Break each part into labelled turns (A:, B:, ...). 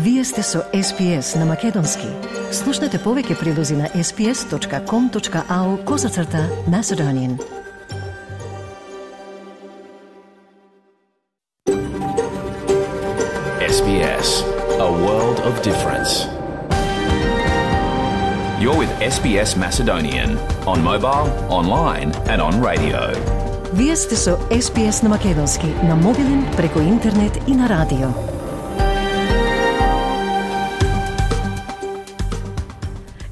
A: Вие сте со SPS на Македонски. Слушнете повеќе прилози на sps.com.au/Macedonian.
B: SBS, a world of difference. You're with SBS Macedonian on mobile, online and on radio.
A: Вие сте со SPS на Македонски на мобилен, преку интернет и на радио.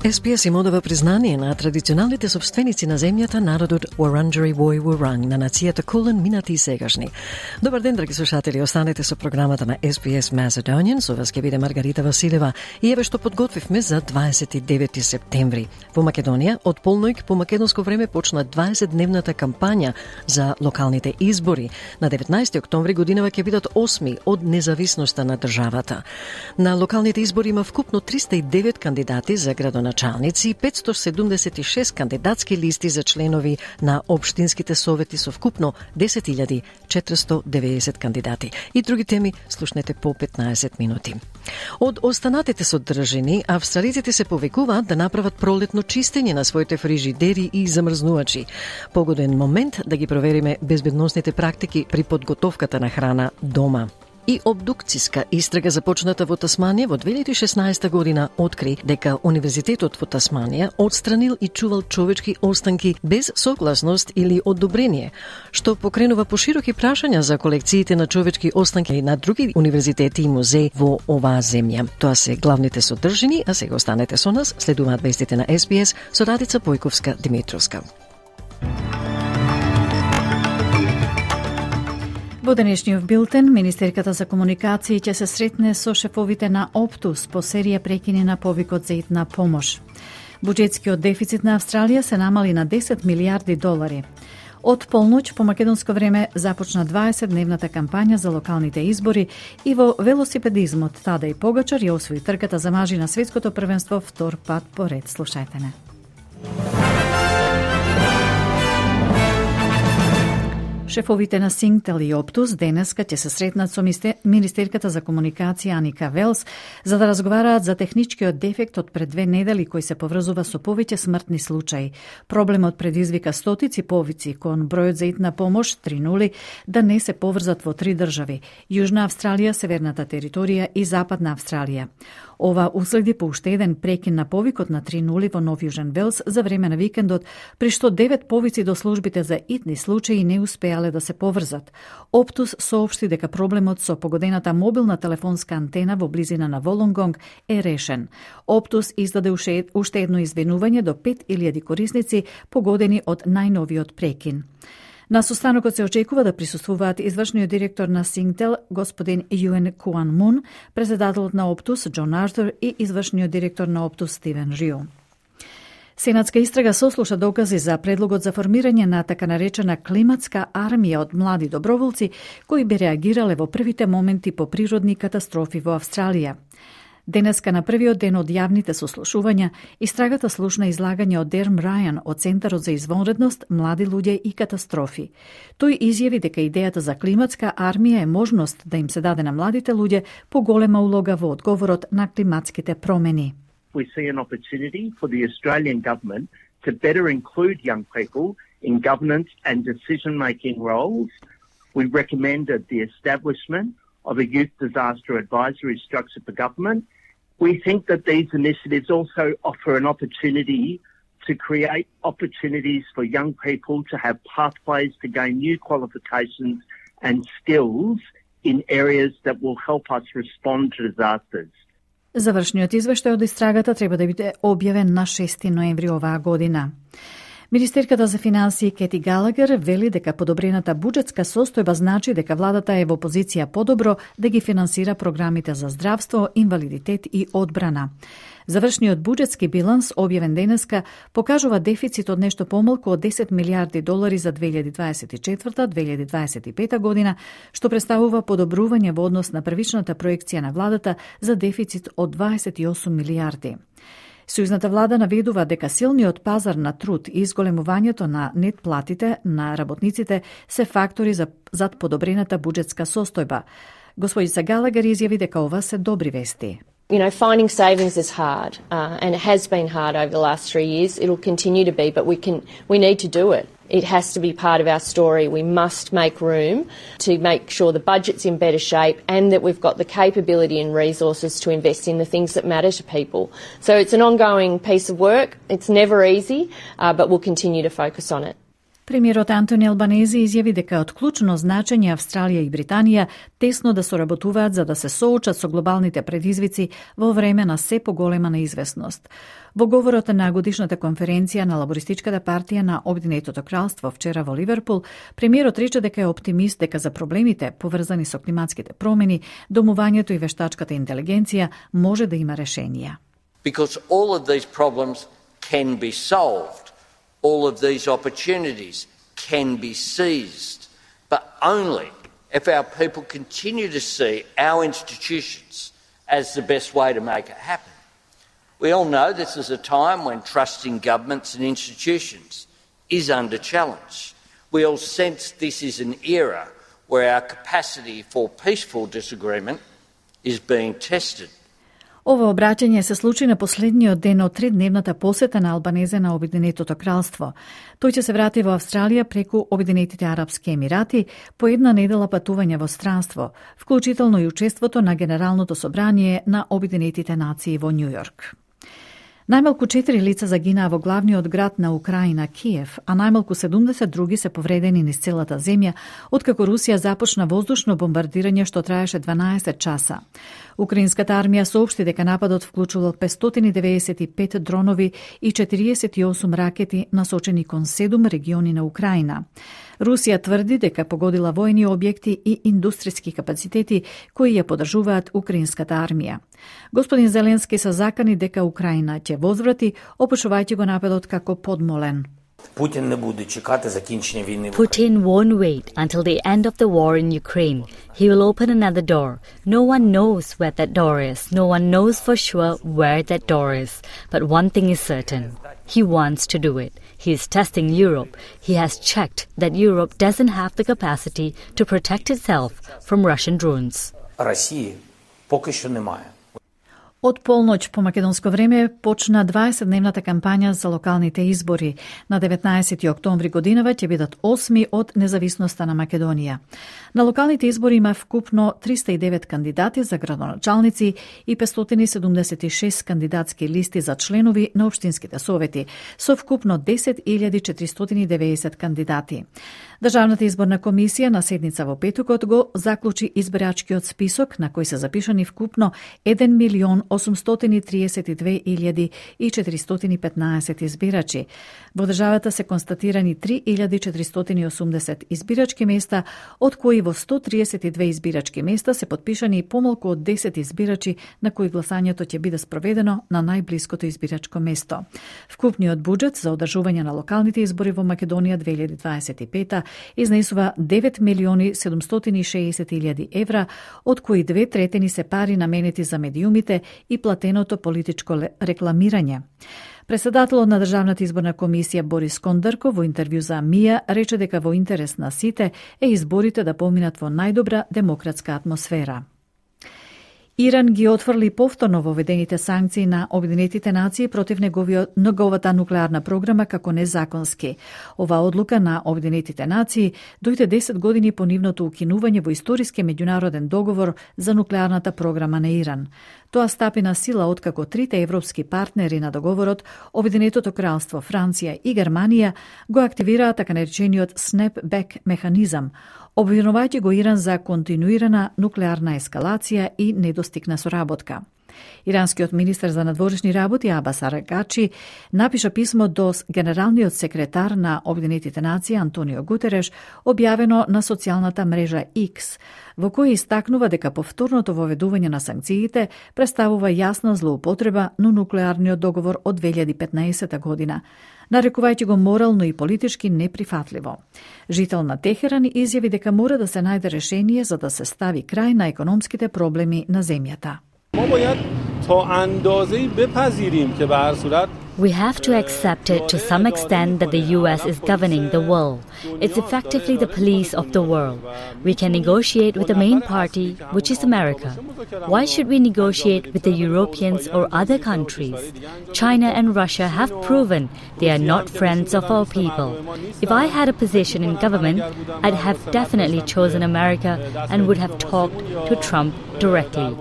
A: SPS им одава признание на традиционалните собственици на земјата, народот Wurundjeri Woi Wurrung, на нацијата Кулен, минати и сегашни. Добар ден, драги слушатели, останете со програмата на SPS Macedonian, со вас ќе биде Маргарита Василева и еве што подготвивме за 29 септември. Во Македонија, од полноќ по македонско време почна 20-дневната кампања за локалните избори. На 19 октомври годинава ќе бидат 8 од независноста на државата. На локалните избори има вкупно 309 кандидати за градоначалници и 576 кандидатски листи за членови на општинските совети со вкупно 10.490 кандидати. И други теми слушнете по 15 минути. Од останатите содржини, австралиците се повикуваат да направат пролетно чистење на своите фрижидери и замрзнувачи. Погоден момент да ги провериме безбедносните практики при подготовката на храна дома. И обдукциска истрага започната во Тасманија во 2016 година откри дека Универзитетот во Тасманија отстранил и чувал човечки останки без согласност или одобрение, што покренува пошироки прашања за колекциите на човечки останки на други универзитети и музеи во оваа земја. Тоа се главните содржини, а сега останете со нас, следуваат вестите на SBS со Радица Појковска-Димитровска.
C: Во денешниот билтен, Министерката за комуникации ќе се сретне со шефовите на Optus по серија прекини на повикот за итна помош. Буџетскиот дефицит на Австралија се намали на 10 милиарди долари. Од полноќ по македонско време започна 20-дневната кампања за локалните избори и во велосипедизмот Тадеј Погачар ја освои трката за мажи на светското првенство втор пат поред. Слушајте не. Шефовите на Синктел и Optus денеска ќе се сретнат со Министерката за комуникација Аника Велс за да разговараат за техничкиот дефект од пред 2 недели кој се поврзува со повеќе смртни случаи. Проблемот предизвика стотици повици кон бројот за итна помош 3.0 да не се поврзат во 3 држави: Јужна Австралија, Северната територија и Западна Австралија. Ова уследи по уште еден прекин на повикот на 3.0 во Нов Јужен Велс за време на викендот, при што 9 повици до службите за итни случаи не успеале да се поврзат. Optus соопшти дека проблемот со погодената мобилна телефонска антена во близина на Волонгонг е решен. Optus издаде уште едно извинување до 5.000 корисници погодени од најновиот прекин. На состанокот се очекува да присуствуваат извршниот директор на Синктел, господин Юен Куан Мун, председателот на Optus, Џон Артур и извршниот директор на Optus, Стивен Рио. Сенатска истрага сослуша докази за предлогот за формирање на така наречена климатска армија од млади доброволци кои би реагирале во првите моменти по природни катастрофи во Австралија. Денеска на првиот ден од јавните сослушувања, истрагата слушна излагање од Дерм Рајан од Центарот за извонредност, млади луѓе и катастрофи. Тој изјави дека идејата за климатска армија е можност да им се даде на младите луѓе поголема улога во одговорот на климатските промени.
D: We see an opportunity for the Australian government to better include young people in governance and decision-making roles. We recommended the establishment of a youth disaster advisory structure for government. We think that these initiatives also offer an opportunity to create opportunities for young people to have pathways to gain new qualifications and skills in areas that will help us respond to disasters.
C: Завршниот извештај од истрагата треба да биде објавен на 6 ноември оваа година. Министерката за финансии Кети Галагер вели дека подобрената буџетска состојба значи дека владата е во позиција подобро да ги финансира програмите за здравство, инвалидитет и одбрана. Завршниот буџетски биланс, објавен денеска, покажува дефицит од нешто помалку од 10 милиарди долари за 2024-2025 година, што представува подобрување во однос на првичната проекција на владата за дефицит од 28 милиарди. Сојузната влада наведува дека силниот пазар на труд и изголемувањето на нет платите на работниците се фактори зад подобрената буџетска состојба. Господица Галагер изјави дека ова се добри вести.
E: You know, finding savings is hard, and it has been hard over the last 3 years. It'll continue to be, but we need to do it. It has to be part of our story. We must make room to make sure the budget's in better shape and that we've got the capability and resources to invest in the things that matter to people. So it's an ongoing piece of work. It's never easy, but we'll continue to focus on it.
C: Премиерот Антони Албанези изјави дека од клучно значење Австралија и Британија тесно да соработуваат за да се соочат со глобалните предизвици во време на се поголема неизвестност. Во говорот на годишната конференција на Лабористичката партија на Обединетото кралство вчера во Ливерпул, премиерот рече дека е оптимист дека за проблемите поврзани со климатските промени, домувањето и вештачката интелигенција може да има решенија.
F: Because all of these problems can be solved. All of these opportunities can be seized, but only if our people continue to see our institutions as the best way to make it happen. We all know this is a time when trust in governments and institutions is under challenge. We all sense this is an era where our capacity for peaceful disagreement is being tested.
C: Ова обраќање се случи на последниот ден од 3-дневната посета на Албанезе на Обединетото кралство. Тој ќе се врати во Австралија преку Обединетите арапски емирати по една недела патување во странство, вклучително и учеството на Генералното собрание на Обединетите нации во Њујорк. Најмалку 4 лица загинаа во главниот град на Украина, Киев, а најмалку 70 други се повредени низ целата земја, откако Русија започна воздушно бомбардирање што траеше 12 часа. Украинската армија соопшти дека нападот вклучувал 595 дронови и 48 ракети насочени кон 7 региони на Украина. Русија тврди дека погодила војни објекти и индустријски капацитети кои ја поддржуваат украинската армија. Господин Зеленски се закани дека Украина ќе возврати, опишувајќи го нападот како подмолен.
G: Putin
H: won't wait until the end of the war in Ukraine. He will open another door. No one knows where that door is. No one knows for sure where that door is. But one thing is certain. He wants to do it. He is testing Europe. He has checked that Europe doesn't have the capacity to protect itself from Russian drones.
G: Росії поки що немає.
C: Од полноќ по македонско време почна 20-дневната кампања за локалните избори. На 19 октомври годинава ќе бидат 8 од независноста на Македонија. На локалните избори има вкупно 309 кандидати за градоначалници и 576 кандидатски листи за членови на општинските совети, со вкупно 10.490 кандидати. Државната изборна комисија на седница во петокот го заклучи избирачкиот список на кој се запишани вкупно 1.832.415 избирачи. Во државата се констатирани 3.480 избирачки места, од кои во 132 избирачки места се подпишани помалку од 10 избирачи на кои гласањето ќе биде спроведено на најблиското избирачко место. Вкупниот буџет за одржување на локалните избори во Македонија 2025 изнесува 9.760.000 евра, од кои 2/3 се пари наменети за медиумите и платеното политичко рекламирање. Председателот на Државната изборна комисија Борис Кондарко во интервју за МИА рече дека во интерес на сите е изборите да поминат во најдобра демократска атмосфера. Иран ги отфрли повторно воведените санкции на Обединетите нации против неговата нуклеарна програма како незаконски. Ова одлука на Обединетите нации дојде 10 години по нивното укинување во историски меѓународен договор за нуклеарната програма на Иран. Тоа стапи на сила откако трите европски партнери на договорот, Обединетото кралство, Франција и Германија, го активираа така наречениот snapback механизам, обвинувајќи го Иран за континуирана нуклеарна ескалација и недостигна соработка. Иранскиот министер за надворешни работи Абас Аракачи напиша писмо до генералниот секретар на Обединетите нации Антонио Гутереш, објавено на социјалната мрежа X, во кој истакнува дека повторното воведување на санкциите представува јасна злоупотреба на нуклеарниот договор од 2015 година, нарекувајќи го морално и политички неприфатливо. Жител на Техеран изјави дека мора да се најде решение за да се стави крај на економските проблеми на земјата.
I: ما باید تا اندازه‌ای بپذیریم که به هر صورت
H: We have to accept it to some extent that the US is governing the world. It's effectively the police of the world. We can negotiate with the main party, which is America. Why should we negotiate with the Europeans or other countries? China and Russia have proven they are not friends of our people. If I had a position in government, I'd have definitely chosen America and would have talked to Trump directly.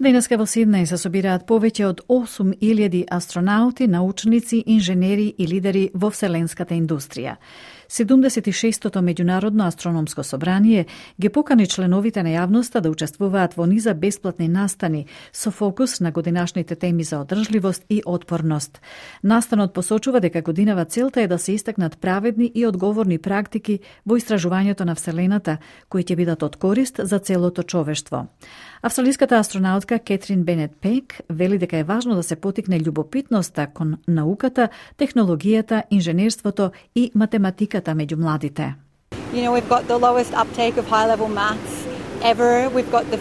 C: Денеска во Сиднеј се собираат повеќе од 8.000 астронаути, научници, инженери и лидери во вселенската индустрија. 76-тото меѓународно астрономско собрание ги покани членовите на јавноста да учествуваат во низа бесплатни настани со фокус на годинашните теми за одржливост и отпорност. Настанот посочува дека годинава целта е да се истакнат праведни и одговорни практики во истражувањето на Вселената, кои ќе бидат од корист за целото човештво. Австралиската астронаутка Кетрин Бенет Пек вели дека е важно да се потикне љубопитноста кон науката, технологијата, инженерството и математиката меѓу младите.
I: You know, we've got the lowest uptake of high-level maths ever. We've got the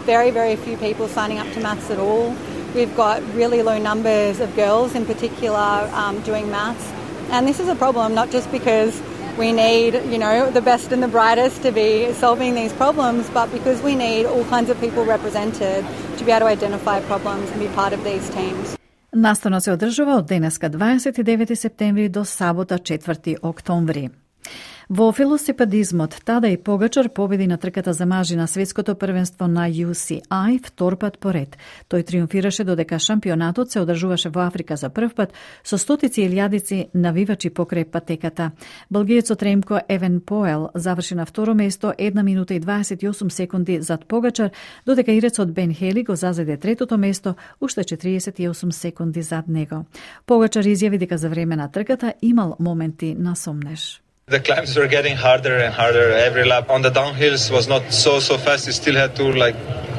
I: very, very few people signing up to maths at all. We've got really low numbers of girls in particular doing maths. And this is a problem, not just because we need, you know, the best and the brightest to be solving these problems, but because we need all kinds of people represented to be able to identify problems and be part of these teams.
C: Настанот се одржува од денеска 29 септември до сабота 4 октомври. Во велосипедизмот Тадеј Погачар победи на трката за мажи на светското првенство на UCI втор пат поред. Тој триумфираше додека шампионатот се одржуваше во Африка за прв пат со стотици и илјадици навивачи покрај патеката. Белгиецот Ремко Евенпоел заврши на второ место 1 минута и 28 секунди зад Погачар, додека ирецот Бен Хели го зазеде третото место уште 48 секунди зад него. Погачар изјави дека за време на трката имал моменти на сомнеж.
J: The climbs were getting harder and harder every lap. On the downhills was not so fast. You still had to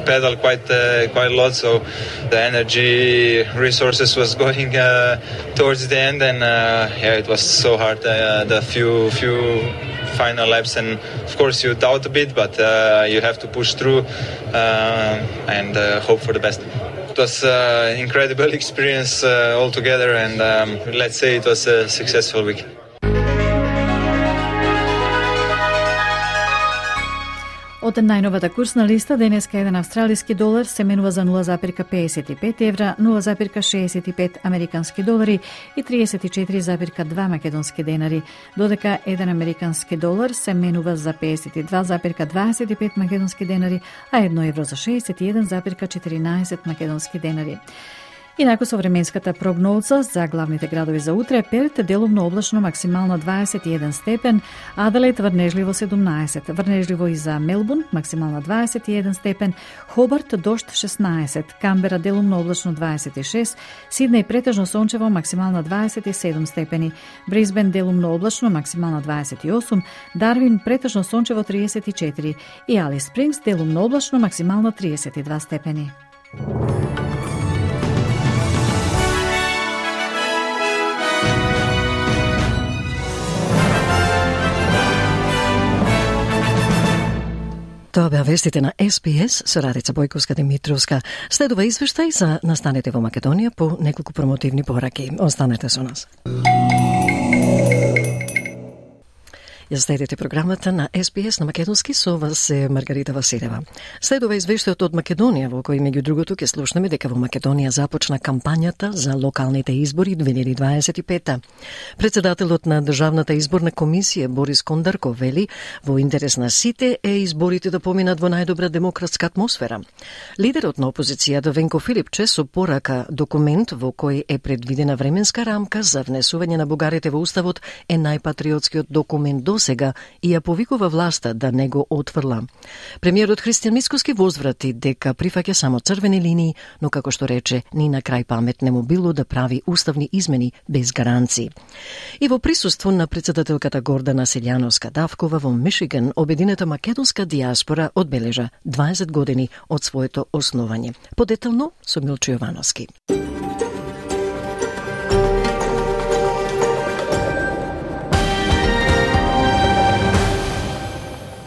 J: pedal quite a lot. So the energy resources was going towards the end, and it was so hard. The few final laps, and of course you doubt a bit, but you have to push through and hope for the best. It was an incredible experience altogether, and let's say it was a successful week.
C: Од најновата курсна листа, денеска еден австралиски долар се менува за 0,55 евра, 0,65 американски долари и 34,2 македонски денари, додека еден американски долар се менува за 52,25 македонски денари, а 1 евро за 61,14 македонски денари. Инаку со временската прогноза за главните градови за утре: Перт делумно облачно, максимално 21 степен, Аделаид врнежливо 17, врнежливо и за Мелбурн, максимално 21 степен, Хобарт дожд 16, Камбера делумно облачно 26, Сиднеј претежно сончево, максимално 27 степени, Брисбен делумно облачно, максимално 28, Дарвин претежно сончево 34 и Алис Спрингс делумно облачно, максимално 32 степени.
A: Тоа беа вестите на СПС со Радица Бојковска-Димитровска. Следува извештај за настаните во Македонија по неколку промотивни пораки. Останете со нас. Ја следите програмата на СПС на македонски, со вас е Маргарита Василева. Следува извештајот од Македонија, во кој меѓу другото ќе слушнеме дека во Македонија започна кампањата за локалните избори 2025. Председателот на Државната изборна комисија Борис Кондарко вели во интерес на сите е изборите да поминат во најдобра демократска атмосфера. Лидерот на опозицијата Венко Филипче со порака документ во кој е предвидена временска рамка за внесување на бугарите во уставот е најпатриотскиот документ до сега и ја повикува власта да не го отфрла. Премиерот Христијан Мицкоски возврати дека прифаќа само црвени линии, но како што рече, ни на крај памет не му било да прави уставни измени без гаранции. И во присуство на председателката Гордана Селјановска-Давкова во Мишиган, обединета македонска диаспора одбележа 20 години од своето основање. Подетално со Милчо Јовановски.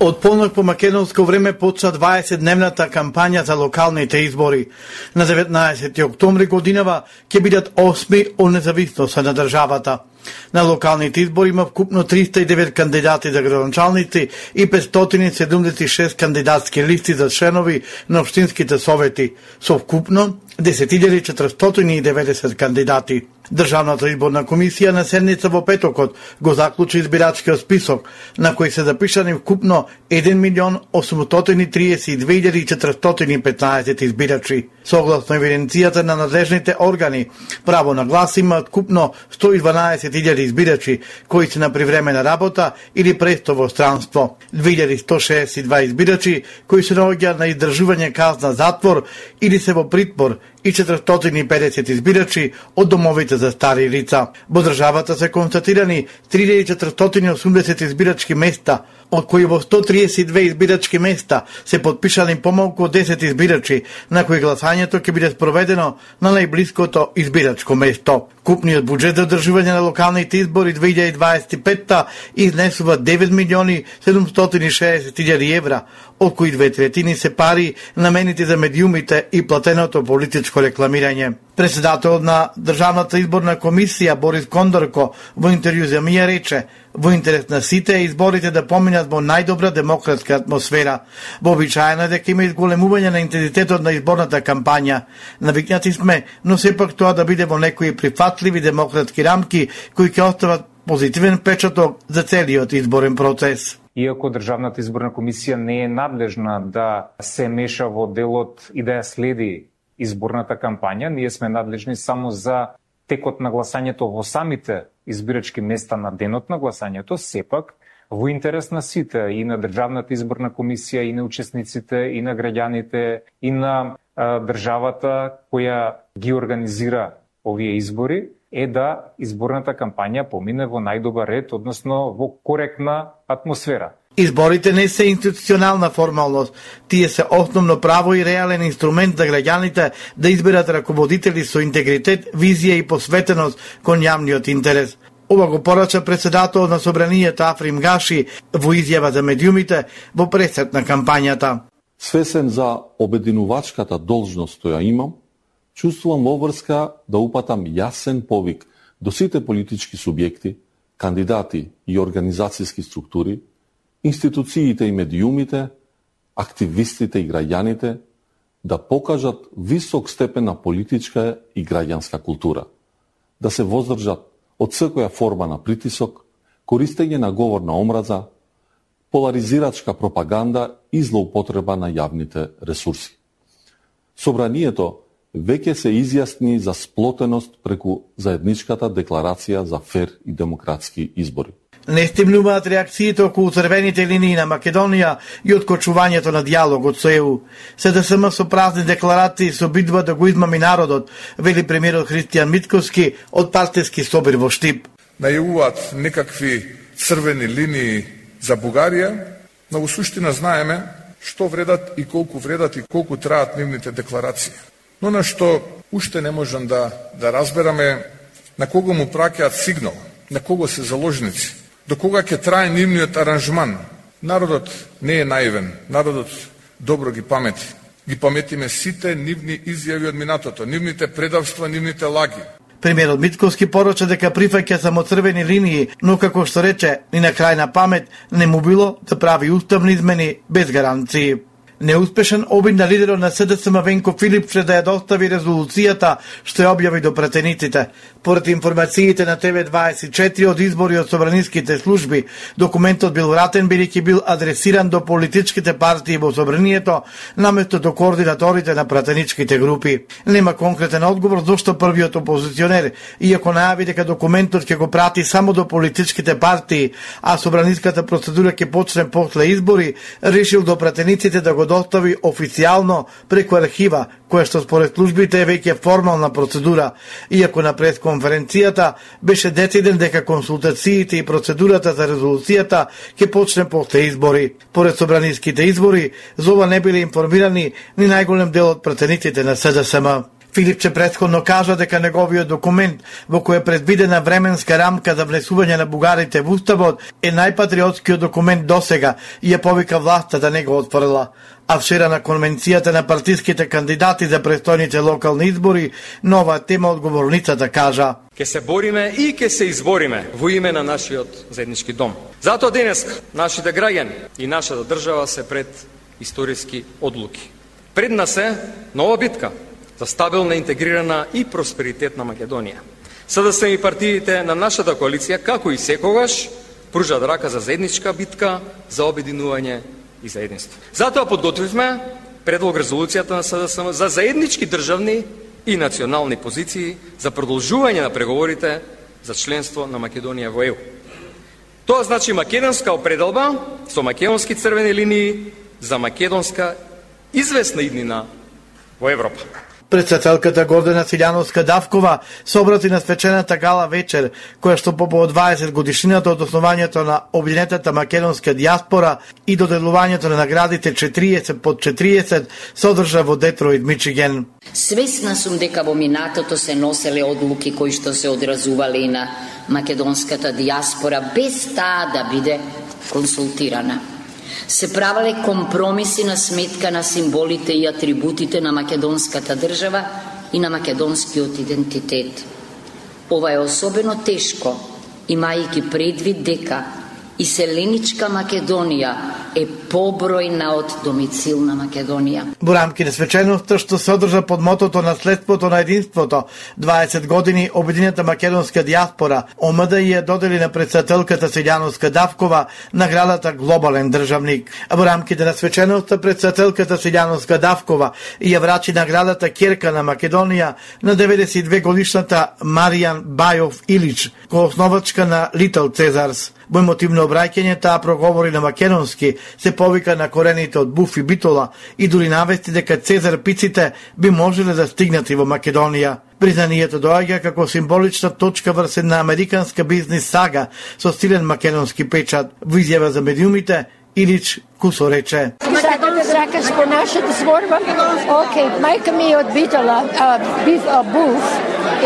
K: Од полнок по македонско време почна 20-дневната кампања за локалните избори. На 19 октомври годинава ќе бидат 8 од независноста на државата. На локалните избори има вкупно 309 кандидати за градоначалници и 576 кандидатски листи за членови на општинските совети, со вкупно 10.490 кандидати. Државната изборна комисија на седница во петокот го заклучи избирачкиот список, на кој се запишани вкупно 1.832.415 избирачи. Согласно евиденцијата на надлежните органи, право на глас имаат вкупно 112.000 избирачи кои се на привремена работа или престо во странство, 2.162 избирачи кои се наоѓаат на издржување казна затвор или се во притвор и 450 избирачи од домовите за стари лица. Во државата се констатирани 3480 избирачки места, од кои во 132 избирачки места се подпишани помалку од 10 избирачи, на кои гласањето ќе биде спроведено на најблиското избирачко место. Купниот буџет за одржување на локалните избори 2025 изнесува 9.760.000 евра, од кои 2/3 се пари наменети за медиумите и платеното политичко рекламирање. Председателот на Државната изборна комисија Борис Кондорко во интервју за МИА рече: во интерес на сите изборите да поминат во најдобра демократска атмосфера. Вообичаено е дека има изголемување на интензитетот на изборната кампања. Навикнати сме, но сепак тоа да биде во некои прифатливи демократски рамки кои ќе остават позитивен печаток за целиот изборен процес.
L: Иако Државната изборна комисија не е надлежна да се меша во делот и да ја следи изборната кампања, ние сме надлежни само за текот на гласањето во самите избирачки места на денот на гласањето, сепак во интерес на сите, и на Државната изборна комисија, и на учесниците, и на граѓаните, и на државата која ги организира овие избори, е да изборната кампања помине во најдобар ред, односно во коректна атмосфера.
K: Изборите не се институционална формалност, тие се основно право и реален инструмент за граѓаните да изберат раководители со интегритет, визија и посветеност кон јавниот интерес. Ова го порача председателот на Собранијата Африм Гаши во изјава за медиумите во пресет на кампањата.
M: Свесен за обединувачката должност што ја имам, чувствувам обврска да упатам јасен повик до сите политички субјекти, кандидати и организацијски структури, институциите и медиумите, активистите и граѓаните да покажат висок степен на политичка и граѓанска култура, да се воздржат од секоја форма на притисок, користење на говор на омраза, поларизирачка пропаганда и злоупотреба на јавните ресурси. Собранието веќе се изјасни за сплотеност преку заедничката декларација за фер и демократски избори.
K: Не стимнуваат реакциите околу црвените линии на Македонија и откочувањето на дијалогот со ЕУ. СДСМ со празни декларации се обидува да го измами народот, вели премиерот Христијан Мицковски од партиски собир во Штип.
N: Најавуваат некакви црвени линии за Бугарија, но во суштина знаеме што вредат и колку траат нивните декларации. Но на што уште не можам да разбераме на кого му праќаат сигнал, на кого се заложници, до кога ќе трае нивниот аранжман. Народот не е наивен, народот добро ги памети. Ги паметиме сите нивни изјави од минатото, нивните предавства, нивните лаги.
K: Премиерот Мицковски порача дека прифаќа само црвени линии, но како што рече, ни на крајна памет не му било да прави уставни измени без гаранции. Неуспешен обид на лидерот на СДСМ Венко Филипче да ја достави резолуцијата што ја објави до пратениците. Поред информациите на ТВ24 од избори од собраниските служби, документот бил вратен бидејќи бил адресиран до политичките партии во собранието, наместо до координаторите на пратеничките групи. Нема конкретен одговор зошто првиот опозиционер, иако најави дека документот ќе го прати само до политичките партии, а собраниската процедура ќе почне после избори, решил до пратениците да го достави официјално преку архива, која што според службите е веќе формална процедура, иако на пресконференцијата беше дециден дека консултациите и процедурата за резолуцијата ќе почне после избори. Поред собраниските избори, за ова не биле информирани ни најголем дел од пратениците на СДСМ. Филипче претходно кажа дека неговиот документ, во кој е предвидена временска рамка за внесување на бугарите во уставот, е најпатриотскиот документ досега и ја повика власта да не го отфрла. А вчера на конвенцијата на партиските кандидати за престојните локални избори, на оваа тема одговорницата кажа:
O: Ке се бориме и ке се избориме во име на нашиот заеднички дом. Затоа денес нашите граѓани и нашата држава се пред историски одлуки. Пред нас е нова битка за стабилна, интегрирана и просперитетна Македонија. СДСМ и партиите на нашата коалиција, како и секогаш, пружат рака за заедничка битка, за обединување и заединство. Затоа подготвивме предлог резолуцијата на СДСМ за заеднички државни и национални позиции за продолжување на преговорите за членство на Македонија во ЕУ. Тоа значи македонска определба со македонски црвени линии за македонска известна иднина во Европа.
K: Председателката Гордана Силјановска-Давкова се обрати на свечената гала вечер, која што по повод 20 годишнината од основањето на Обединетата македонска дијаспора и доделувањето на наградите 40 под 40 се одржа во Детройт, Мичиген.
P: Свесна сум дека во минатото се носеле одлуки кои што се одразувале и на македонската дијаспора без таа да биде консултирана. Се правеле компромиси на сметка на символите и атрибутите на македонската држава и на македонскиот идентитет. Ова е особено тешко, имајќи предвид дека иселеничка Македонија е побројна од домицилна Македонија.
K: Во рамки на свеченоста што се одржа под мотото наследството на единството, 20 години Обединета македонска дијаспора, ОМД ја додели на председателката Силјановска-Давкова наградата Глобален државник. А во рамките на свеченоста председателката Силјановска-Давкова ја врачи наградата Керка на Македонија на 92 годишната Маријан Бајов Илич, коосновачка на Литл Цезарс. Во емотивно обраќање таа проговори на македонски, се повика на корените од Буф и Битола и дури навести дека Цезар пиците би можеле да стигнат и во Македонија. Признанието доаѓа како символична точка врз една американска бизнис сага со силен македонски печат. Во изјава за медиумите, Илич Кусо рече:
Q: Сакаш по нашата зборба? Океј, мајка ми е од Битола, Буф,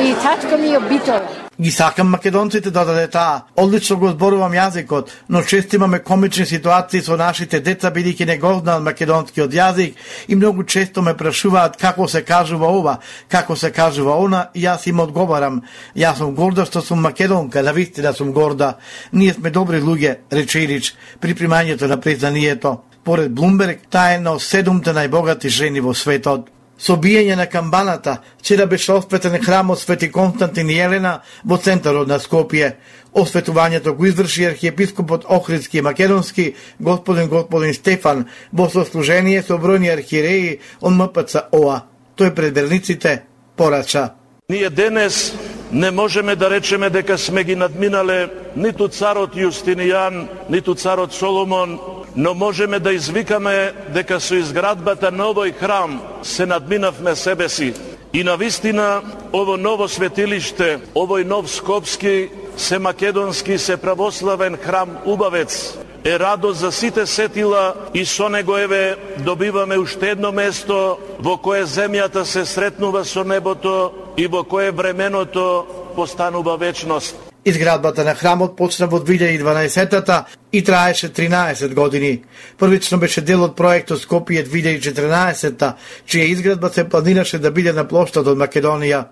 Q: и татко ми е од Битола.
K: Ги сакам македонците, додаде таа. Одлично го зборувам јазикот, но често имаме комични ситуации со нашите деца, бидејќи не го знаат македонскиот јазик и многу често ме прашуваат како се кажува ова, како се кажува она, и јас им одговарам: јас сум горда што сум македонка, навистина сум горда. Ние сме добри луѓе, рече Илич при примањето на признанието. Поред Блумберг, таа е една од 7 најбогати жени во светот. Со биење на камбаната, вчера беше осветен храмот Свети Константин и Елена во центарот на Скопје. Осветувањето го изврши архиепископот Охридски и Македонски, господин Стефан, во сослужение со бројни архиереи од МПЦ ОА. Тој пред верниците порача:
R: Ние денес не можеме да речеме дека сме ги надминале ниту царот Јустинијан, ниту царот Соломон, но можеме да извикаме дека со изградбата на овој храм се надминавме себе си. И навистина ово ново светилиште, овој нов скопски, се македонски, се православен храм убавец е радост за сите сетила и со него еве добиваме уште едно место во кое земјата се сретнува со небото и во кое временото постанува вечност.
K: Изградбата на храмот почна во 2012-та и траеше 13 години. Првично беше дел од проектот Скопје 2014-та, чија изградба се планираше да биде на плоштад од Македонија.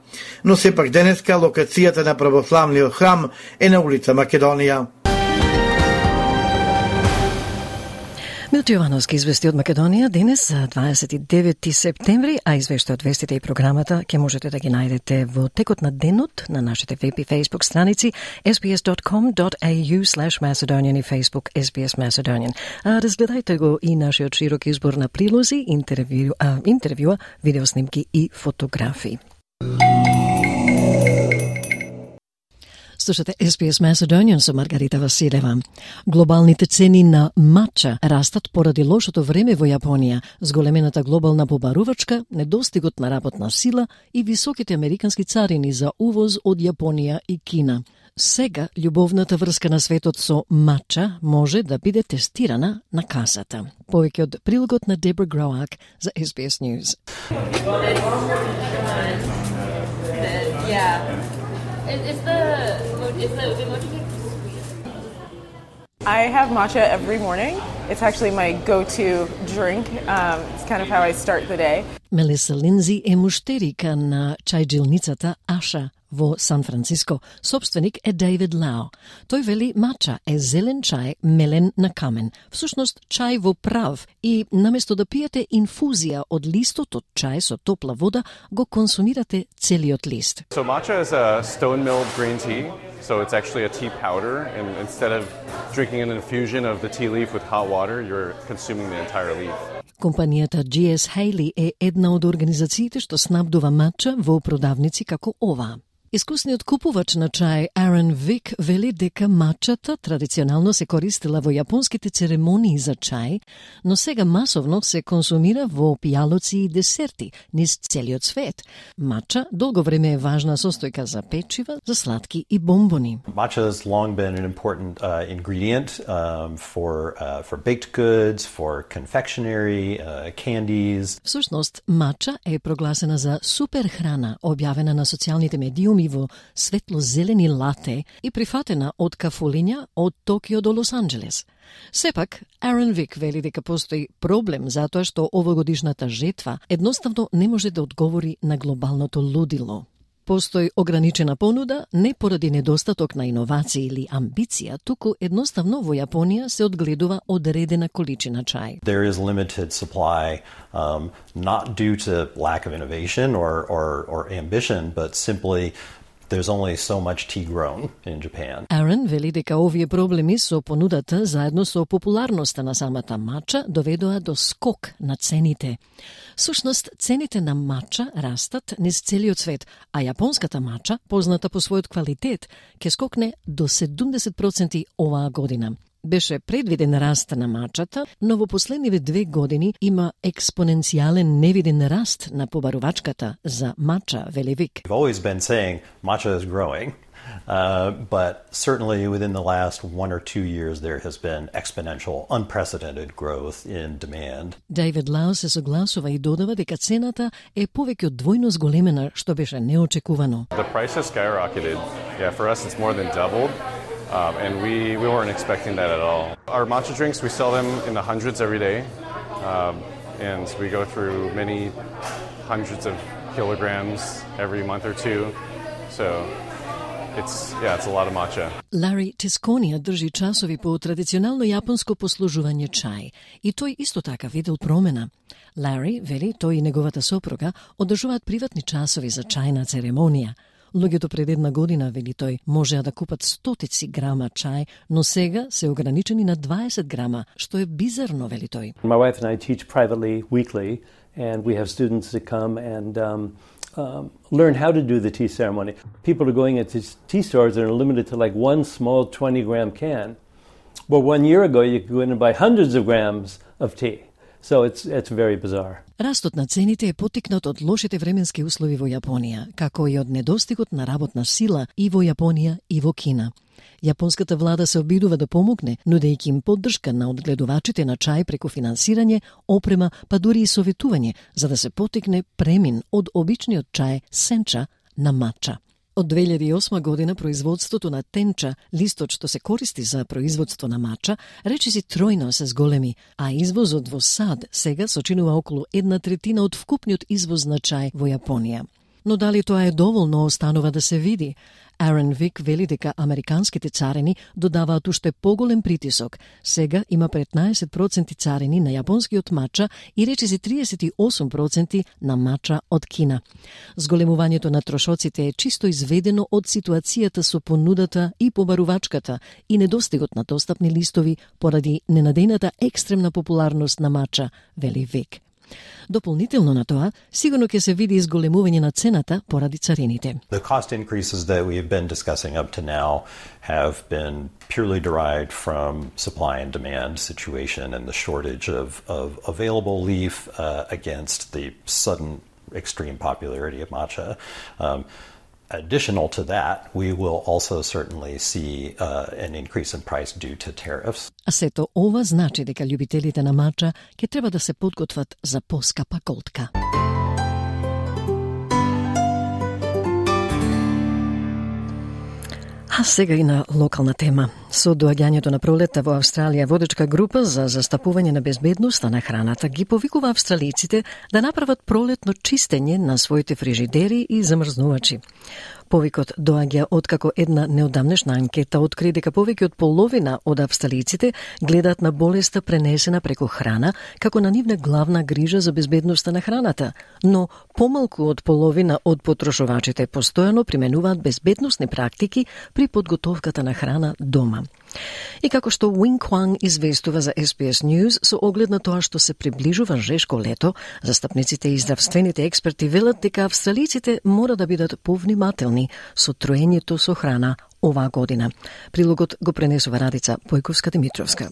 K: Но сепак денеска локацијата на православниот храм е на улица Македонија.
A: Милчо Јовановски извести од Македонија денес за 29 септември, а извештај од вестите и програмата ќе можете да ги најдете во текот на денот на нашите веб и Facebook страници sbs.com.au/Macedonian и Facebook SBS Macedonian. Разгледајте го и нашиот широк избор на прилози, интервјуа, видеоснимки и фотографии. Слушате SBS Macedonian со Маргарита Василева. Глобалните цени на матча растат поради лошото време во Јапонија, зголемената глобална побарувачка, недостигот на работна сила и високите американски царини за увоз од Јапонија и Кина. Сега љубовната врска на светот со мача може да биде тестирана на касата. Повеќе од прилогот на Дебра Гроак за SBS News.
S: I have matcha every morning. It's actually my go-to drink. It's kind of how I start the day.
A: Мелиса Линзи е муштерика на чајджилницата Аша во Сан Франциско. Собственик е Дейвид Лао. Тој вели мача е зелен чај мелен на камен. Всушност чај во прав и наместо да пиете инфузија од листот од чај со топла вода, го консумирате целиот лист.
T: So matcha is a stone-milled green tea. So it's actually a tea powder, and instead of drinking an infusion of the tea leaf with hot water, you're consuming the entire leaf.
A: Компанијата GS Haley е една од организациите што снабдува мача во продавници како оваа. Искусниот купувач на чај Aaron Vick вели дека мачата традиционално се користела во јапонските церемонии за чај, но сега масовно се консумира во пијалоци и десерти низ целиот свет. Мача долго време е важна состојка за печива, за сладки и бомбони.
U: Matcha has long been an important ingredient for baked goods, for confectionery, candies.
A: Всушност, мача е прогласена за супер храна, објавена на социјалните медиуми во светло-зелени лате и прифатена од кафулиња од Токио до Лос-Анџелес. Сепак, Aaron Vick вели дека постои проблем затоа што овогодишната жетва едноставно не може да одговори на глобалното лудило. Постои ограничена понуда не поради недостаток на иновации или амбиција, туку едноставно во Јапонија се одгледува одредена количина чај.
U: There is limited supply, not due to lack of innovation or ambition, but simply there's only so much tea grown in Japan.
A: Aaron вели дека овие проблеми со понудата заедно со популарноста на самата мача доведоа до скок на цените. Сушност, цените на мача растат низ целиот свет, а јапонската мача, позната по својот квалитет, ќе скокне до 70% оваа година. Беше предвиден раст на мачата, но во последниве 2 години има експоненцијален невиден раст на побарувачката за мача, вели Вик.
U: We've always been saying matcha is growing, but certainly within the last 1 or 2 years there has been exponential, unprecedented growth in demand.
A: Дейвид Лао се согласува и додава дека цената е повеќе од двојно зголемена, што беше неочекувано.
T: The price has skyrocketed. Yeah, for us it's more than doubled. And we weren't expecting that at all. Our matcha drinks, we sell them in the hundreds every day. And we go through many hundreds of kilograms every month or two. So it's a lot of matcha.
A: Лари Тисконија држи часови по традиционално јапонско послужување чај и тој исто така видел промена. Лари вели тој и неговата сопруга одржуваат приватни часови за чајна церемонија. Луѓето пред 1 година, вели тој, можеа да купат стотици грама чај, но сега се ограничени на 20 грама, што е бизарно, вели тој.
V: My wife and I teach privately weekly, and we have students that come and learn how to do the tea ceremony. People are going into tea stores and are limited to like one small 20-gram can. Well, 1 year ago, you could go in and buy hundreds of grams of tea. So it's very bizarre.
A: Растот на цените е поттикнат од лошите временски услови во Јапонија, како и од недостигот на работна сила и во Јапонија и во Кина. Јапонската влада се обидува да помогне, нудејќи им поддршка на одгледувачите на чај преку финансирање, опрема, па дури и советување, за да се поттикне премин од обичниот чај сенча на мача. Од 2008 година производството на тенча, листот што се користи за производство на мача, речиси тројно се зголеми, а извозот во САД сега сочинува околу 1/3 од вкупниот извоз на чај во Јапонија. Но дали тоа е доволно останува да се види? Aaron Vick вели дека американските царини додаваат уште поголем притисок. Сега има 15% царини на јапонскиот мача и речиси 38% на мача од Кина. Зголемувањето на трошоците е чисто изведено од ситуацијата со понудата и побарувачката и недостигот на достапни листови поради ненадејната екстремна популарност на мача, вели Вик. Дополнително на тоа, сигурно ќе се види изголемување на цената поради царините.
U: The cost increases that we have been discussing up to now have been purely derived from supply and demand situation and the shortage of available leaf against the sudden extreme popularity of matcha. Additional to that, we will also certainly see an increase in price due to tariffs.
A: А сето ова значи дека љубителите на мача ќе треба да се подготват за поскапа колтка. А сега и на локална тема. Со доаѓањето на пролетта во Австралија, водечка група за застапување на безбедноста на храната ги повикува австралиците да направат пролетно чистење на своите фрижидери и замрзнувачи. Повикот доаѓа откако една неодамнешна анкета откри дека повеќе од половина од австралиците гледаат на болеста пренесена преку храна како на нивна главна грижа за безбедноста на храната, но помалку од половина од потрошувачите постојано применуваат безбедносни практики при подготовката на храна дома. И како што Wing Kwang известува за SBS News, со оглед на тоа што се приближува жешко лето, застапниците и здравствените експерти велат дека австралиците мора да бидат повнимателни со троењето со храна оваа година. Прилогот го пренесува Радица Појковска-Димитровска.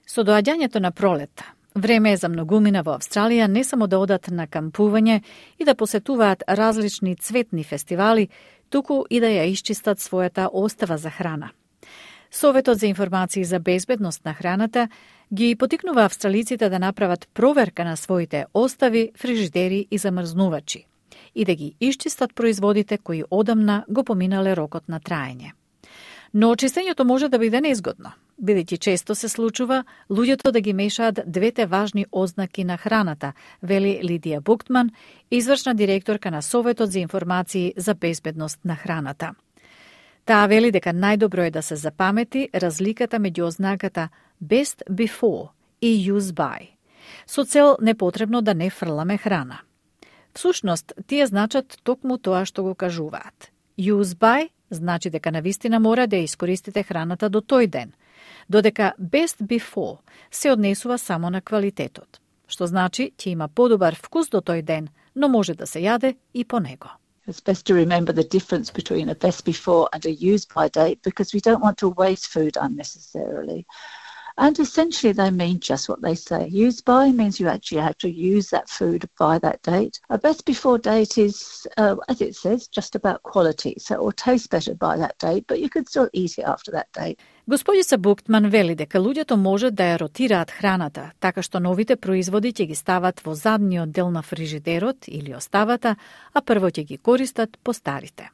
C: Со доаѓањето на пролетта, време е за многумина во Австралија не само да одат на кампување и да посетуваат различни цветни фестивали, туку и да ја исчистат својата остава за храна. Советот за информации за безбедност на храната ги потикнува австралиците да направат проверка на своите остави, фрижидери и замрзнувачи и да ги исчистат производите кои одамна го поминале рокот на траење. Но чистењето може да биде неизгодно, бидејќи често се случува луѓето да ги мешаат двете важни ознаки на храната, вели Лидија Буктман, извршна директорка на Советот за информации за безбедност на храната. Таа вели дека најдобро е да се запамети разликата меѓу ознаката best before и use by, со цел непотребно да не фрламе храна. Всушност, тие значат токму тоа што го кажуваат. Use by значи дека навистина мора да ја искористите храната до тој ден, додека best before се однесува само на квалитетот, што значи ќе има подобар вкус до тој ден, но може да се јаде и по него.
B: It's best to remember the difference between a best before and a use by date because we don't want to waste food unnecessarily. And essentially they mean just what they say. Use by means you actually have to use that food by that date. A best before date is, as it says, just about quality. So it will taste better by that date, but you can still eat it after that date.
C: Господица Буктман вели дека луѓето можат да ја ротираат храната, така што новите производи ќе ги стават во задниот дел на фрижидерот или оставата, а прво ќе ги користат по старите.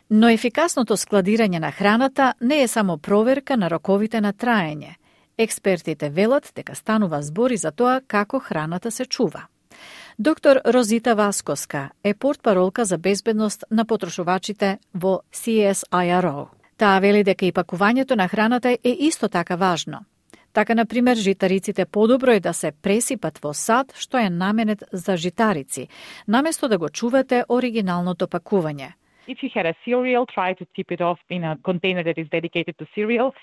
C: Но ефикасното складирање на храната не е само проверка на роковите на траење. Експертите велат дека станува збори за тоа како храната се чува. Доктор Розита Васкоска е портпаролка за безбедност на потрошувачите во CSIRO. Таа вели дека и пакувањето на храната е исто така важно. Така, например, житариците подобро е да се пресипат во сад што е наменет за житарици, наместо да го чувате оригиналното пакување.
D: If you had a cereal, try to tip it off in a container that is dedicated to cereal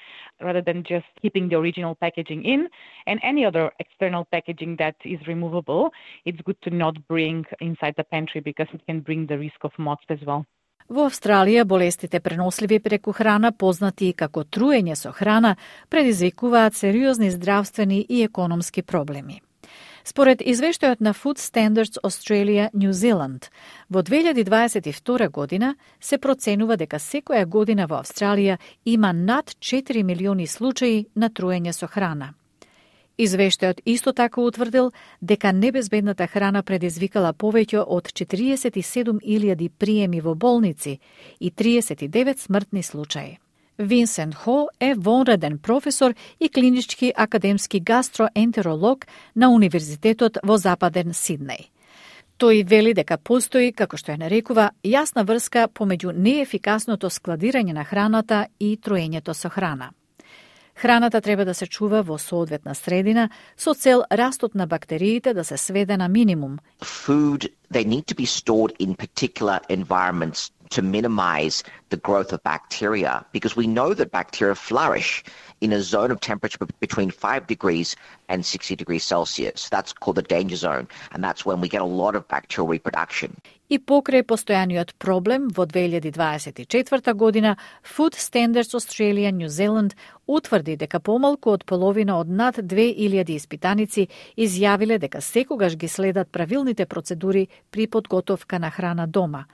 D: rather than just keeping the original packaging in. And any other external packaging that is removable, it's good to not bring inside the pantry because it can bring the risk of moths as well.
C: Во Австралија болестите преносливи преку храна, познати како труење со храна, предизвикуваат сериозни здравствени и економски проблеми. Според извештајот на Food Standards Australia New Zealand, во 2022 година се проценува дека секоја година во Австралија има над 4 милиони случаи на труење со храна. Извештајот исто така утврдил дека небезбедната храна предизвикала повеќе од 47.000 приеми во болници и 39 смртни случаи. Винсент Хо е вонреден професор и клинички академски гастроентеролог на Универзитетот во Западен Сиднеј. Тој вели дека постои, како што ја нарекува, јасна врска помеѓу неефикасното складирање на храната и троењето со храна. Храната треба да се чува во соодветна средина со цел растот на бактериите да се сведе на минимум.
W: Food, they need to be stored in particular environments
E: to minimize the growth of bacteria, because we know that bacteria flourish in a zone of temperature between 5 degrees and 60 degrees Celsius. That's called the danger zone, and that's when we get a lot of bacterial reproduction.
C: И покрај постојаниот проблем, во 2024 година, Food Standards Australia New Zealand утврди дека помалку од половина од над 2000 испитаници изјавиле дека секогаш ги следат правилните процедури при подготовка на храна дома,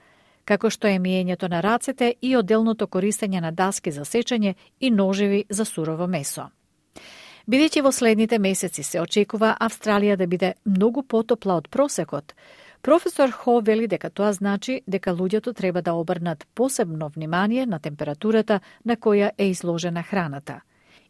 C: како што е миењето на рацете и одделното користење на даски за сечење и ножеви за сурово месо. Бидејќи во следните месеци се очекува Австралија да биде многу потопла од просекот, професор Хо вели дека тоа значи дека луѓето треба да обрнат посебно внимание на температурата на која е изложена храната.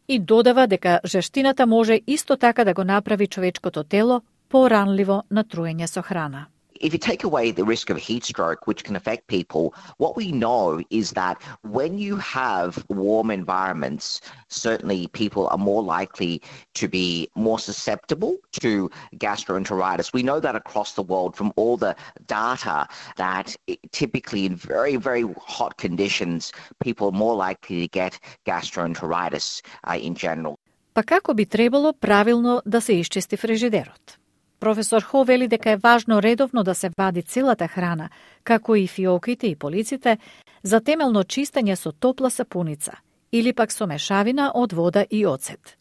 C: И додава дека жештината може исто така да го направи човечкото тело поранливо на труење со храна.
E: If you take away the risk of heat stroke, which can affect people, what we know is that when you have warm environments, certainly people are more likely to be more susceptible to gastroenteritis. We know that across the world from all the data that typically in very, very hot conditions, people are more likely to get gastroenteritis in general.
C: Па како би требало правилно да се исчисти фрижидерот? Професор Хо вели дека е важно редовно да се вади целата храна, како и фиоките и полиците, за темелно чистење со топла сапуница или пак со мешавина од вода и оцет.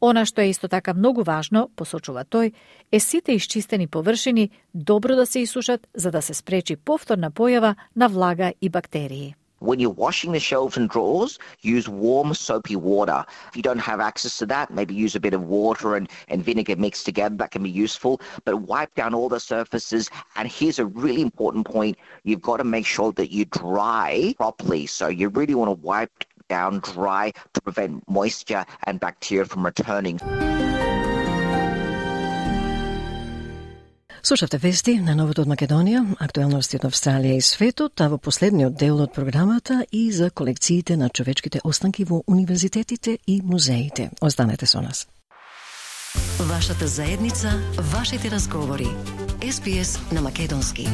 C: Она што е исто така многу важно, посочува тој, е сите исчистени површини добро да се исушат за да се спречи повторна појава на влага и бактерии.
E: When you're washing the shelves and drawers, use warm soapy water. If you don't have access to that, maybe use a bit of water and vinegar mixed together. That can be useful. But wipe down all the surfaces. And here's a really important point. You've got to make sure that you dry properly. So you really want to wipe down dry to prevent moisture and bacteria from returning.
A: Слушавте вести на Новото од Македонија, актуелности од Австралија и светот, а во последниот дел од програмата и за колекциите на човечките останки во универзитетите и музеите. Останете со нас.
F: Вашата заедница, вашите разговори. SPS на македонски.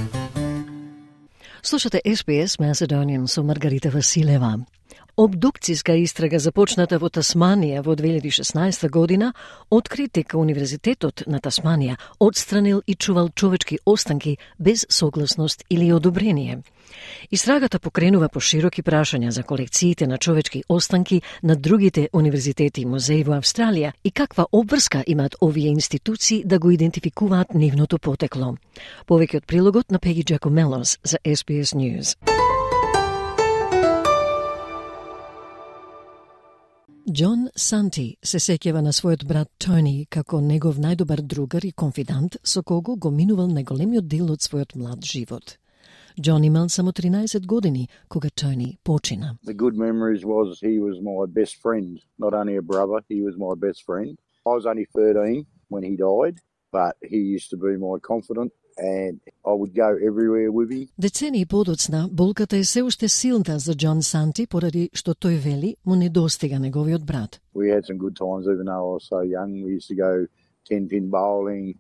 A: Слушате SPS Macedonian со Маргарита Василева. Обдукцијска истрага започната во Тасманија во 2016 година откри дека Универзитетот на Тасманија отстранил и чувал човечки останки без согласност или одобрение. Истрагата покренува пошироки прашања за колекциите на човечки останки на другите универзитети и музеи во Австралија и каква обврска имаат овие институции да го идентификуваат нивното потекло. Повеќе од прилогот на Пеги Джакомелос за SBS News. Џон Санти се сеќава на својот брат Тони како негов најдобар другар и конфидант со кого го минувал најголемиот дел од својот млад живот. Џон имал само 13 години кога Тони почина.
W: The good memories was he was my best friend, not only a brother, he was my best friend. I was only 13 when he died, but he used to be my confidant. And I would go everywhere with him.
A: Децении подоцна, болката е се уште силна за Џон Санти поради што тој вели му недостига неговиот брат.
W: We had some good times even though I was so young. We used to go 10-pin bowling,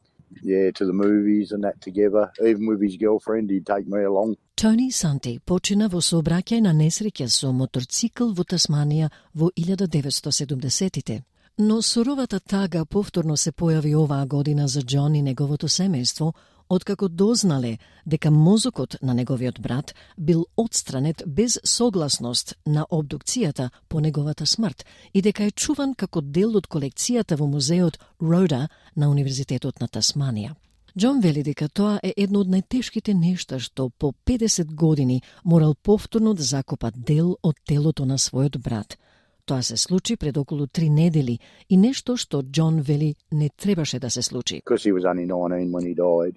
W: to the movies and that together. Even with his girlfriend, he'd take me along.
A: Тони Санти почина во сообраќај на несреќа со моторцикл во Тасманија во 1970-тите. Но суровата тага повторно се појави оваа година за Џон и неговото семејство, откако дознале дека мозокот на неговиот брат бил отстранет без согласност на обдукцијата по неговата смрт и дека е чуван како дел од колекцијата во музеот Рода на Универзитетот на Тасманија. Џон вели дека тоа е едно од најтешките нешта што по 50 години морал повторно да закопа дел од телото на својот брат. Тоа се случи пред околу 3 недели и нешто што Џон вели не требаше да се случи.
W: Because he was only 19 when he died.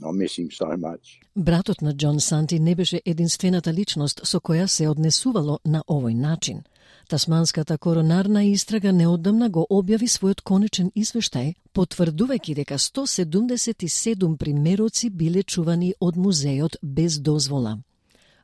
W: I miss him so much.
A: Братот на Џон Санти не беше единствената личност со која се однесувало на овој начин. Тасманската коронарна истрага неодамна го објави својот конечен извештај, потврдувајќи дека 177 примероци биле чувани од музеот без дозвола.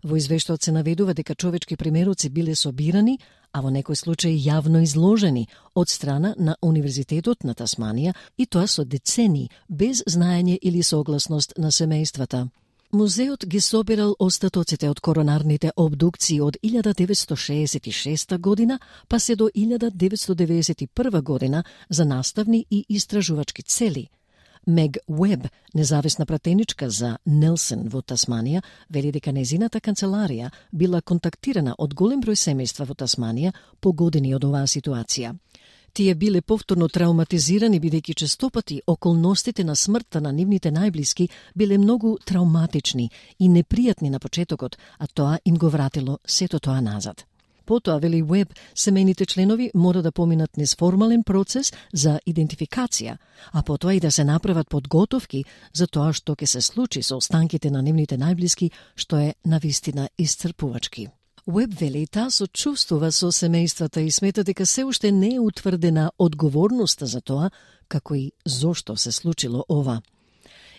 A: Во извештајот се наведува дека човечки примероци биле собирани, а во некој случај јавно изложени од страна на Универзитетот на Тасманија и тоа со децени без знаење или согласност на семејствата. Музеот ги собирал остатоците од коронарните обдукции од 1966 година, па се до 1991 година за наставни и истражувачки цели. Мег Уеб, независна пратеничка за Нелсен во Тасманија, вели дека незината канцеларија била контактирана од голем број семејства во Тасманија по години од оваа ситуација. Тие биле повторно травматизирани бидејќи честопати околностите на смртта на нивните најблиски биле многу травматични и непријатни на почетокот, а тоа им го вратило сето тоа назад. Потоа, вели Уеб, семејните членови мора да поминат низ формален процес за идентификација, а потоа и да се направат подготовки за тоа што ќе се случи со останките на нивните најблиски, што е навистина исцрпувачки. Уеб вели таа сочувствува со семејствата и смета дека се уште не е утврдена одговорноста за тоа како и зошто се случило ова.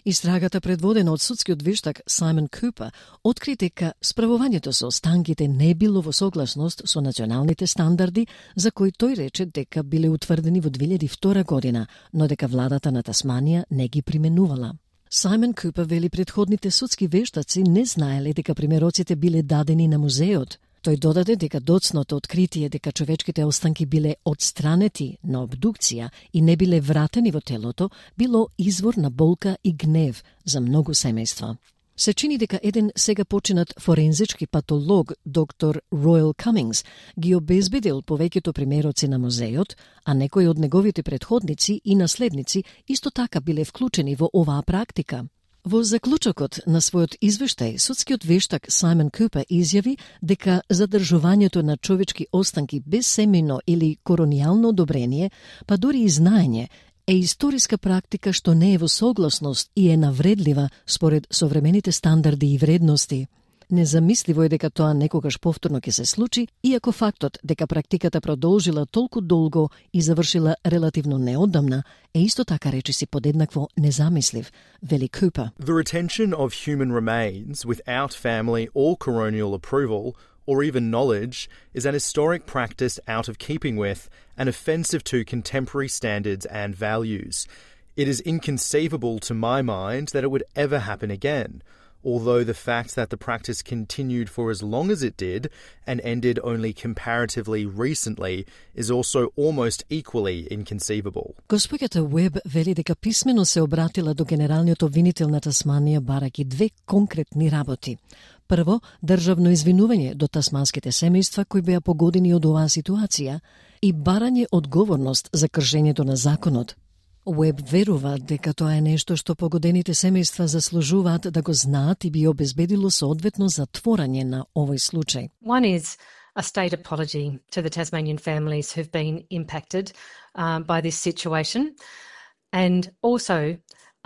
A: Истрагата предводена од судскиот вештак Саймон Купер откри дека справувањето со останките не било во согласност со националните стандарди за кои тој рече дека биле утврдени во 2002 година, но дека владата на Тасманија не ги применувала. Саймон Купер вели предходните судски вештаци не знаеле дека примероците биле дадени на музеот. Тој додаде дека доцното откритие дека човечките останки биле отстранети на обдукција и не биле вратени во телото, било извор на болка и гнев за многу семејства. Се чини дека еден сега починат форензички патолог, доктор Ройл Камингс, ги обезбедил повеќето примероци на музеот, а некои од неговите предходници и наследници исто така биле вклучени во оваа практика. Во заклучокот на својот извештај, судскиот вештак Саймон Купер изјави дека задржувањето на човечки останки без семејно или коронијално одобрение, па дури и знаење, е историска практика што не е во согласност и е навредлива според современите стандарди и вредности. Незамисливо е дека тоа некогаш повторно ќе се случи, иако фактот дека практиката продолжила толку долго и завршила релативно неодамна е исто така речиси подеднакво незамислив, вели Купер.
G: The retention of human remains without family or coronial approval or even knowledge is an historic practice out of keeping with and offensive to contemporary standards and values. It is inconceivable to my mind that it would ever happen again, although the fact that the practice continued for as long as it did and ended only comparatively recently is also almost equally inconceivable.
A: Госпоѓата Уеб вели дека писмено се обратила до генералниот обвинител на Тасманија бараки две конкретни работи. Прво, државно извинување до тасманските семејства кои беа погодени од оваа ситуација и барање одговорност за кршењето на законот. Уеб верува дека тоа е нешто што погодените семејства заслужуваат да го знаат и би обезбедило соодветно затворање на овој случај.
H: One is a state apology to the Tasmanian families who've been impacted by this situation, and also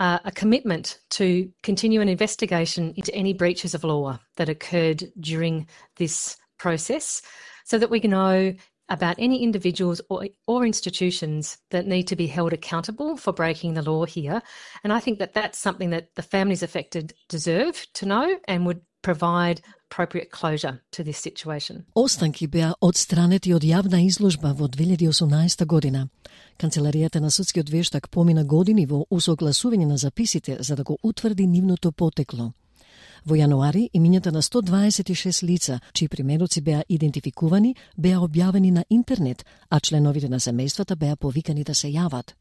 H: a commitment to continue an investigation into any breaches of law that occurred during this process so that we can know about any individuals or institutions that need to be held accountable for breaking the law here. And I think that that's something that the families affected deserve to know and would provide appropriate closure to this situation.
A: Останки беа одстранети од јавна изложба во 2018 година. Канцеларијата на судскиот вештак помина години во усогласување на записите за да го утврди нивното потекло. Во јануари, имињата на 126 лица, чии примероци беа идентификувани, беа објавени на интернет, а членовите на семејствата беа повикани да се јават.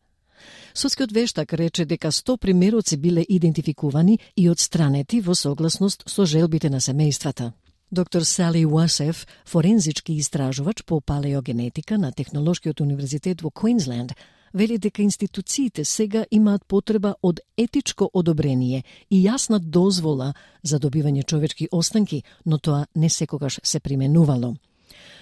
A: Судскиот вештак рече дека 100 примероци биле идентификувани и одстранети во согласност со желбите на семејствата. Доктор Сали Уасеф, форензички истражувач по палеогенетика на Технолошкиот универзитет во Квинсленд, вели дека институциите сега имаат потреба од етичко одобрение и јасна дозвола за добивање човечки останки, но тоа не секогаш се применувало.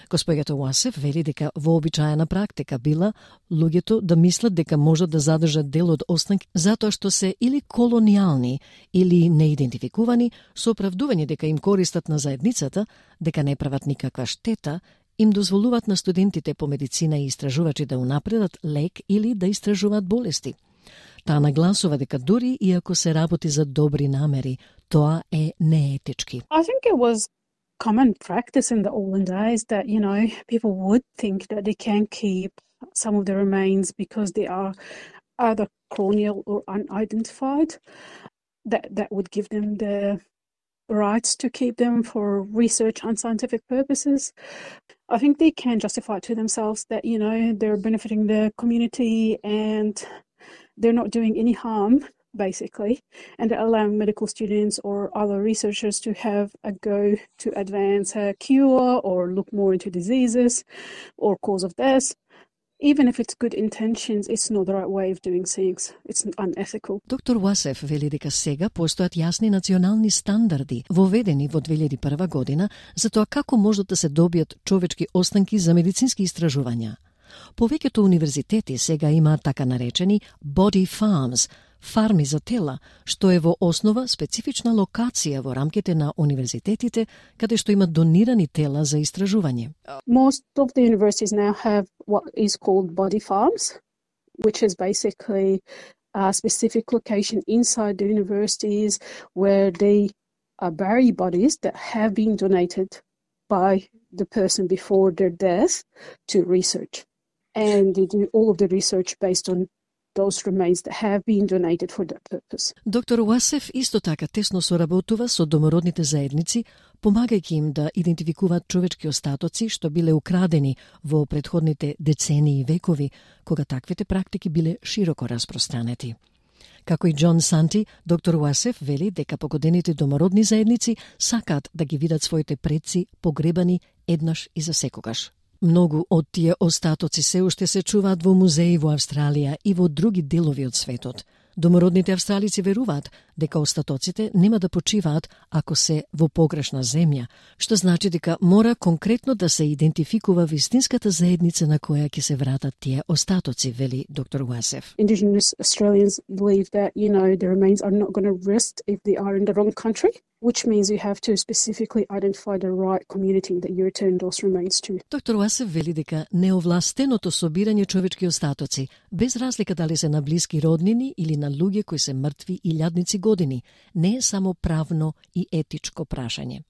A: Госпоѓата Уасеф вели дека вообичаена практика била луѓето да мислат дека можат да задржат дел од останки затоа што се или колонијални или неидентификувани со оправдување дека им користат на заедницата, дека не прават никаква штета, им дозволуваат на студентите по медицина и истражувачи да унапредат лек или да истражуваат болести. Таа нагласува дека дури и ако се работи за добри намери, тоа е неетички.
I: I think it was common practice in the olden days that, you know, people would think that they can keep some of the remains because they are either corneal or unidentified. That would give them the rights to keep them for research and scientific purposes. I think they can justify to themselves that, you know, they're benefiting the community and they're not doing any harm, basically, and they're allowing medical students or other researchers to have a go to advance a cure or look more into diseases or cause of death. Even if it's good intentions, it's not the right way of doing things. It's unethical.
A: Доктор Уасеф вели дека сега постојат јасни национални стандарди, воведени во 2001 година, за тоа како можат да се добијат човечки останки за медицински истражувања. Повеќето универзитети сега имаат така наречени body farms, фарми за тела, што е во основа специфична локација во рамките на универзитетите, каде што имат донирани тела за истражување.
I: Most of the universities now have what is called body farms, which is basically a specific location inside the universities where they bury bodies that have been donated by the person before their death to research. And they do all of the research based on those remains that have been donated for that purpose.
A: Доктор Уасеф исто така тесно соработува со домородните заедници, помагајќи им да идентификуваат човечки остатоци што биле украдени во претходните децении и векови, кога таквите практики биле широко распространети. Како и Џон Санти, доктор Уасеф вели дека погодените домородни заедници сакаат да ги видат своите предци погребани еднаш и за секогаш. Многу од тие остатоци се уште се чуваат во музеи во Австралија и во други делови од светот. Домородните австралици веруваат дека остатоците нема да почиваат ако се во погрешна земја, што значи дека мора конкретно да се идентификува вистинската заедница на која ќе се вратат тие остатоци, вели доктор Уасеф.
I: Indigenous Australians believe that, you know, the remains are not going to rest if they are in the wrong country, which means you have to specifically identify the right community that you return those remains to.
A: Доктор Уасеф вели дека неовластеното собирање човечки остатоци, без разлика дали се на блиски роднини или на луѓе кои се мртви илјадници години, не е само правно и етичко прашање.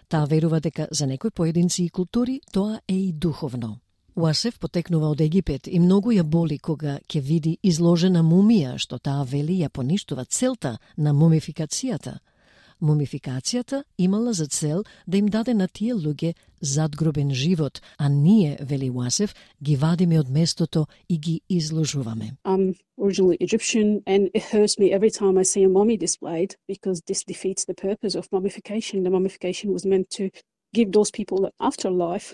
A: Таа верува дека за некои поединци и култури тоа е и духовно. Уасеф потекнува од Египет и многу ја боли кога ќе види изложена мумија, што таа вели ја поништува целта на мумификацијата. Мумификацијата имала за цел да им даде на тие луѓе задгробен живот, а ние, вели Уасеф, ги вадиме од местото и ги изложуваме.
I: I'm originally Egyptian and it hurts me every time I see a mummy displayed because this defeats the purpose of mummification. The mummification was meant to give those people an afterlife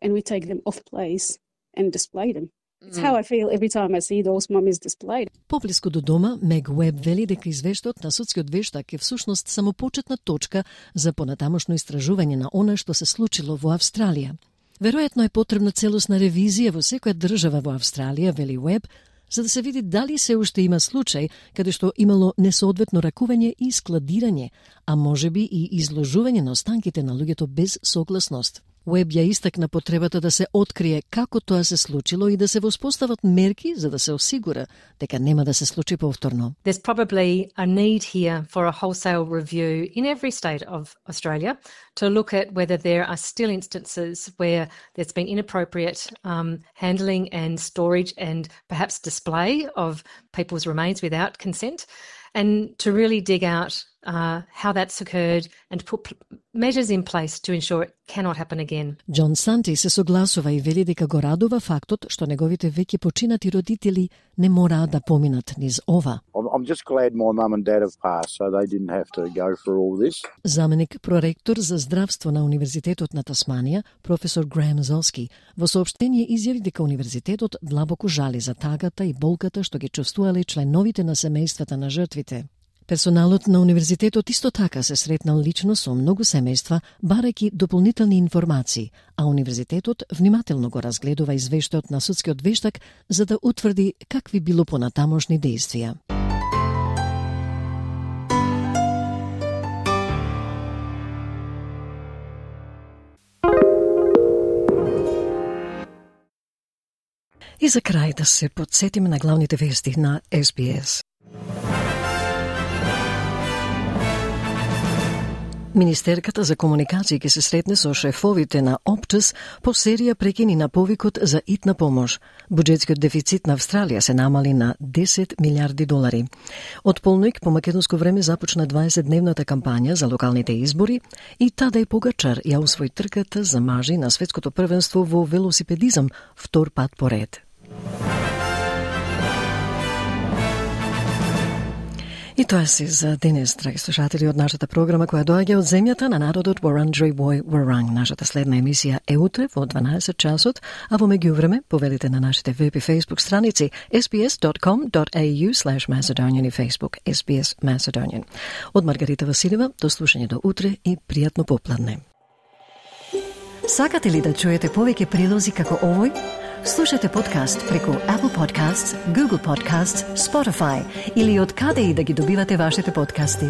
I: and we take them off place and display them. It's how I feel every time I see those mummies displayed.
A: Поблиску до дома, Мег Уеб вели дека извештајот на судскиот вештак е всушност само почетна точка за понатамошно истражување на она што се случило во Австралија. Веројатно е потребна целосна ревизија во секоја држава во Австралија, вели Уеб, за да се види дали се уште има случај каде што имало несоодветно ракување и складирање, а можеби и изложување на останките на луѓето без согласност. Уеб ја истакна потребата да се открие како тоа се случило и да се воспостават мерки за да се осигура дека нема да се случи повторно.
H: There's probably a need here for a wholesale review in every state of Australia to look at whether there are still instances where there's been inappropriate handling and storage and perhaps display of people's remains without consent, and to really dig out how that's occurred and put measures in place to ensure it cannot happen again.
A: Џон Санти се согласува и вели дека го радува фактот што неговите веќе починати родители не мораат да поминат низ ова.
W: I'm just glad my mum and dad have passed so they didn't have to go through all this.
A: Заменик проректор за здравство на Универзитетот на Тасманија, професор Греем Золски, во соопштение изјави дека универзитетот длабоко жали за тагата и болката што ги чувствувале членовите на семејствата на жртвите. Персоналот на универзитетот исто така се сретнал лично со многу семејства, барајќи дополнителни информации, а универзитетот внимателно го разгледува извештајот на судскиот вештак за да утврди какви било понатамошни действија. И за крај да се потсетиме на главните вести на SBS. Министерката за комуникации ќе се сретне со шефовите на Optus по серија прекини на повикот за итна помош. Буџетскиот дефицит на Австралија се намали на 10 милиарди долари. Од полноќ по македонско време започна 20-дневната кампања за локалните избори и Тадај Погачар ја усвои трката за мажи на светското првенство во велосипедизам втор пат поред. И тоа се за денес, драги слушатели, од нашата програма која доаѓа од земјата на народот Wurundjeri Woi Wurrung. Нашата следна емисија е утре во 12 часот, а во меѓувреме повелите на нашите веб и фейсбук страници sbs.com.au/Macedonian и Facebook SBS Macedonian. Од Маргарита Василева, до слушање до утре и пријатно попладне.
F: Сакате ли да чуете повеќе прилози како овој? Слушате подкаст преку Apple Podcasts, Google Podcasts, Spotify или од каде и да ги добивате вашите подкасти.